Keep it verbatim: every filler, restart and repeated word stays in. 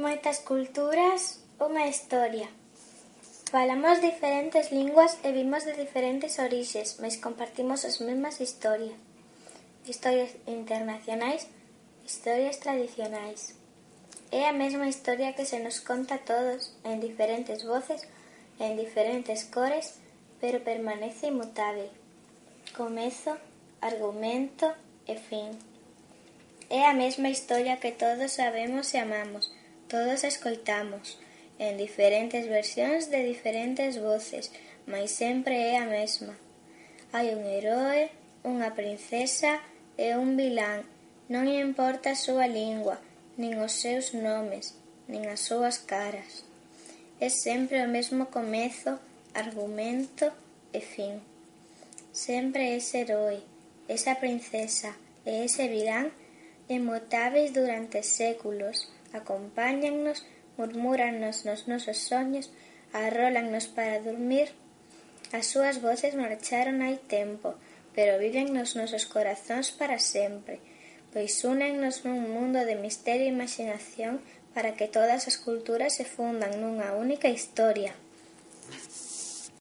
Moitas culturas, unha historia. Falamos diferentes linguas e vimos de diferentes orixes, mais compartimos as mesmas historias. Historias internacionais, historias tradicionais. É a mesma historia que se nos conta a todos, en diferentes voces, en diferentes cores, pero permanece inmutável. Comezo, argumento e fin. É a mesma historia que todos sabemos e amamos, todos escoitamos, en diferentes versións de diferentes voces, mais sempre é a mesma. Hai un heroe, unha princesa e un vilán, non importa a súa lingua, nin os seus nomes, nin as súas caras. É sempre o mesmo comezo, argumento e fin. Sempre ese heroe, esa princesa e ese vilán inmutáveis durante séculos, acompáñannos, murmúrannos nos nosos soños, arrólannos para dormir. As súas voces marcharon hai tempo, pero viven nos nosos corazóns para sempre, pois únennos nun mundo de misterio e imaxinación para que todas as culturas se fundan nunha única historia.